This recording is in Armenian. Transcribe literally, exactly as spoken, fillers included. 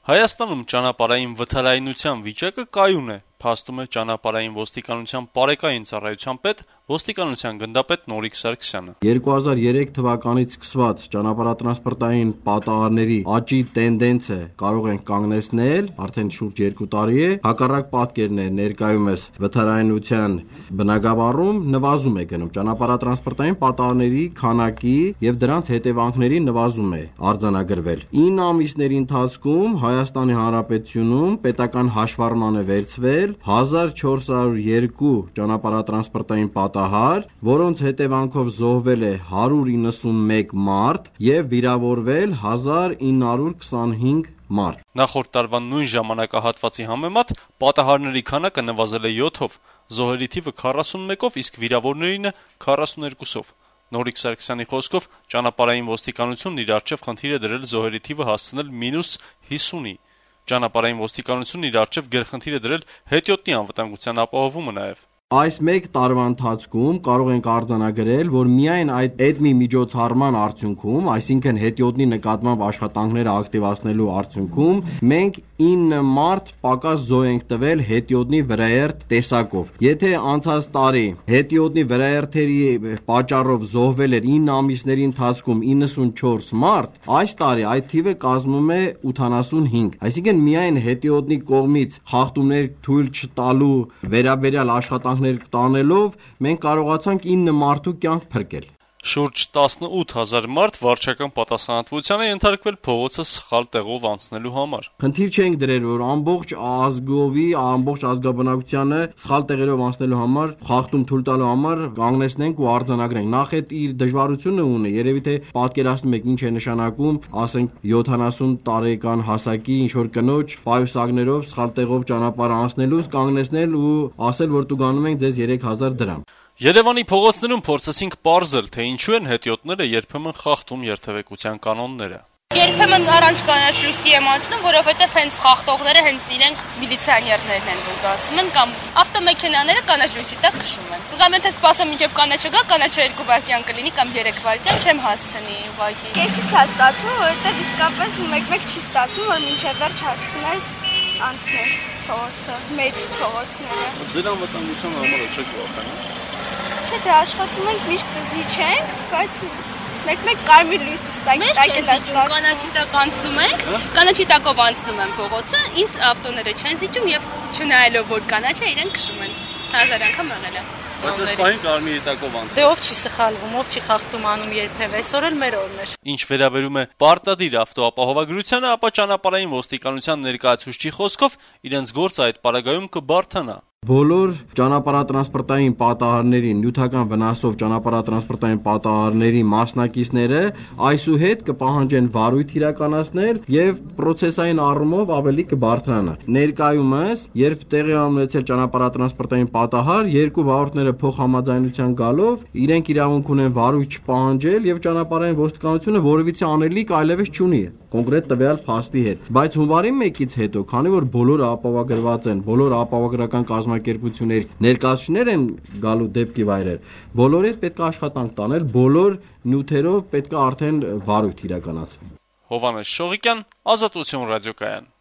Հայաստանում ճանապարհային վթարայնության վիճակը կայուն է, փաստում է ճանապարհային ոստիկանության պարեկային ծառայության պետ ոստիկանության գնդապետ Նորիկ Սարգսյանը։ երկու հազար երեք թվականից սկսված ճանապարհատրանսպորտային պատահարների աճի տենդենսը կարող ենք կանգնեցնել, արդեն շուրջ երկու տարի է, հակառակ պատկերն է ներկայումս վթարայնության բնագավառում նվազում է գնում, ճանապարհատրանսպորտային պատահարների քանակի եւ դրանց հետևանքների նվազում է արձանագրվել։ ինը ամիսների ընթացքում Հայաստանի Հանրապետությունում պետական հաշվառման է վերցվել հազար չորս հարյուր երկու ճանապարհատրանսպորտային պատահար, որոնց հետևանքով զոհվել է հարյուր իննսունմեկ մարդ եւ վիրավորվել հազար ինը հարյուր քսանհինգ մարդ։ Նախորդ տարվա նույն ժամանակահատվածի համեմատ պատահարների քանակը նվազել է յոթով, զոհերի թիվը քառասունմեկով, իսկ վիրավորներինը քառասուներկուսով։ Նորիկ Սարգսյանի խոսքով ճանապարհային ոստիկանությունն իր առջև խնդիր է դրել զոհերի թիվը հասցնել մինուս հիսունի։ Ճանապարհային ոստիկանությունն իր առջև գերխնդիր է դրել հետիոտնի անվտանգության ապահովումը նաև։ Այս մեկ տարվա ընթացքում կարող ենք արձանագրել, որ միայն այդ էդմի միջոցառման արդյունքում, այսինքն հետիոտնի նկատմամբ աշխատանքները ակտիվացնելու արդյունքում, մենք ինը մարդ պակաս զոհ ենք տվել հետիոտնի վրաերթ տեսակով։ Եթե անցած տարի հետիոտնի վրաերթերի պատճառով զոհվել էր ինը ամիսների ընթացքում իննսունչորս մարդ, այս տարի այդ թիվը կազմում է ութանասունհինգ։ Այսինքն միայն հետիոտնի կողմից խախտումներ թույլ չտալու վերաբերյալ աշխատանք տանելով մենք կարողացանք ինը մարդու կյանք փրկել։ Շուրջ տասնութ հազար մարդ վարչական պատասխանատվության է ենթարկվել փողոցը սխալ տեղով անցնելու համար։ Խնդիր չենք դրել, որ ամբողջ ազգովի, ամբողջ ազգաբնակությանը սխալ տեղերով անցնելու համար, խախտում թույլ տալու համար կանգնեցնենք ու արձանագրենք։ Նախ այդ իր դժվարությունը ունի, երևի թե պատկերացնում եք ինչ է նշանակում, ասենք յոթանասուն տարեկան հասակի ինչ որ կնոջ պայուսակներով սխալ տեղով ճանապարհ անցնելուց կանգնեցնել ու ասել, որ տուգանում ենք ձեզ երեք հազար դրամ։ Երևանի փողոցներում փորձեցինք պարզել, թե ինչու են հետիոտները երբեմն խախտում երթևեկության կանոնները։ Երբեմն առանց կանաչ լույսի եմ անցնում, որովհետև հենց խախտողները հենց իրենք միլիցիաներներն են, ոնց ասում են, կամ ավտոմեքենաները կանաչ լույսի տակ քշում են։ Կամ եթե սպասեմ մինչև կանաչը գա, կանաչը երկու վայրկյան կլինի կամ երեք վայրկյան, չեմ հասցնի ուղղակի։ Կեսից է ստացվում, որովհետև իսկապես մեկ-մեկ չի ստացվում, որ մինչև վերջ հասցնես անցնես փողոցը, մեծ փողոցները։ Ձեր անվտանգության համար չեք վախենում։ Չէ, դե աշխատում ենք, միշտ զի չենք, բայց մեկ-մեկ կարմիր լույսը ստանք, տակել է ստացվում։ Կանաչի տակ անցնում ենք, կանաչի տակով անցնում են փողոցը, ինձ ավտոները չեն զիջում եւ չնայելով որ կանաչ է, իրենք քշում են։ Հազար անգամ եղել է։ Բայց այս պահին կարմիրի տակով անցնում։ Դե ով չի սխալվում, ով չի խախտում անում երբևէ, այսօր էլ մեր օրն էր։ Ինչ վերաբերում է պարտադիր ավտոապահովագրությանը, ապա ճանապարհային ոստիկանության ներկայացուցչի խոսքով իրենց գործը այդ պարագայում կբարթանա։ Բոլոր ճանապարհատրանսպորտային պատահարների, նյութական վնասով ճանապարհատրանսպորտային պատահարների մասնակիցները այսուհետ կպահանջեն վարույթ իրականացնել եւ պրոցեսային առումով ավելի կբարթրանա։ Ներկայումս, երբ տեղի ունեցել ճանապարհատրանսպորտային պատահար, երկու վարորդները փոխհամաձայնության գալով իրենք իրավունք ունեն վարույթ չպահանջել եւ ճանապարհային ոստիկանությունը որևիցե անելիք այլևս չունի կոնկրետ տվյալ փաստի հետ։ Բայց հունվարի մեկից հետո, քանի որ բոլորը ապահովագրված են, բոլոր ապահովագրական կազմակերպությունների ներկայացուցիչներ են գալու դեպքի վայրեր, բոլորի հետ պետք է աշխատանք տանել, բոլոր նյութերով պետք է արդեն վարույթ իրականացվի։ Հովհաննես Շողիկյան, Ազատություն ռադիոկայան։